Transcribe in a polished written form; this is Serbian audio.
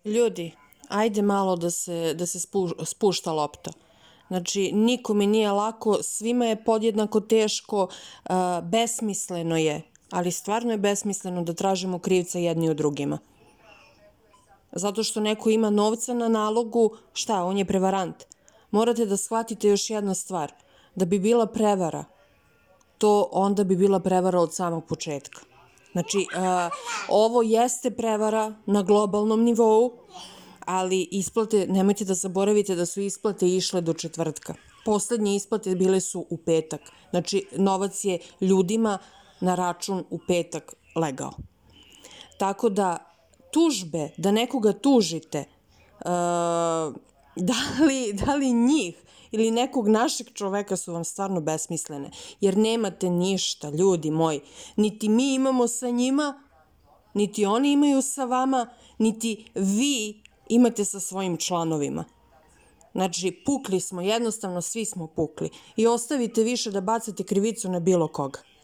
Ljudi, ajde malo da se spušta lopta. Znači, nikome nije lako, svima je podjednako teško, besmisleno je, ali stvarno je besmisleno da tražimo krivca jedni od drugima. Zato što neko ima novca na nalogu, šta, on je prevarant. Morate da shvatite još jedna stvar, da bi bila prevara, to onda bi bila prevara od samog početka. Znači, ovo jeste prevara na globalnom nivou, ali isplate, nemojte da zaboravite da su isplate išle do četvrtka. Poslednje isplate bile su u petak. Znači, novac je ljudima na račun u petak legao. Tako da, tužbe, da nekoga tužite, da li njih ili nekog našeg čoveka su vam stvarno besmislene, jer nemate ništa, ljudi moji. Niti mi imamo sa njima, niti oni imaju sa vama, niti vi imate sa svojim članovima. Znači, pukli smo, jednostavno svi smo pukli. I ostavite više da bacate krivicu na bilo koga.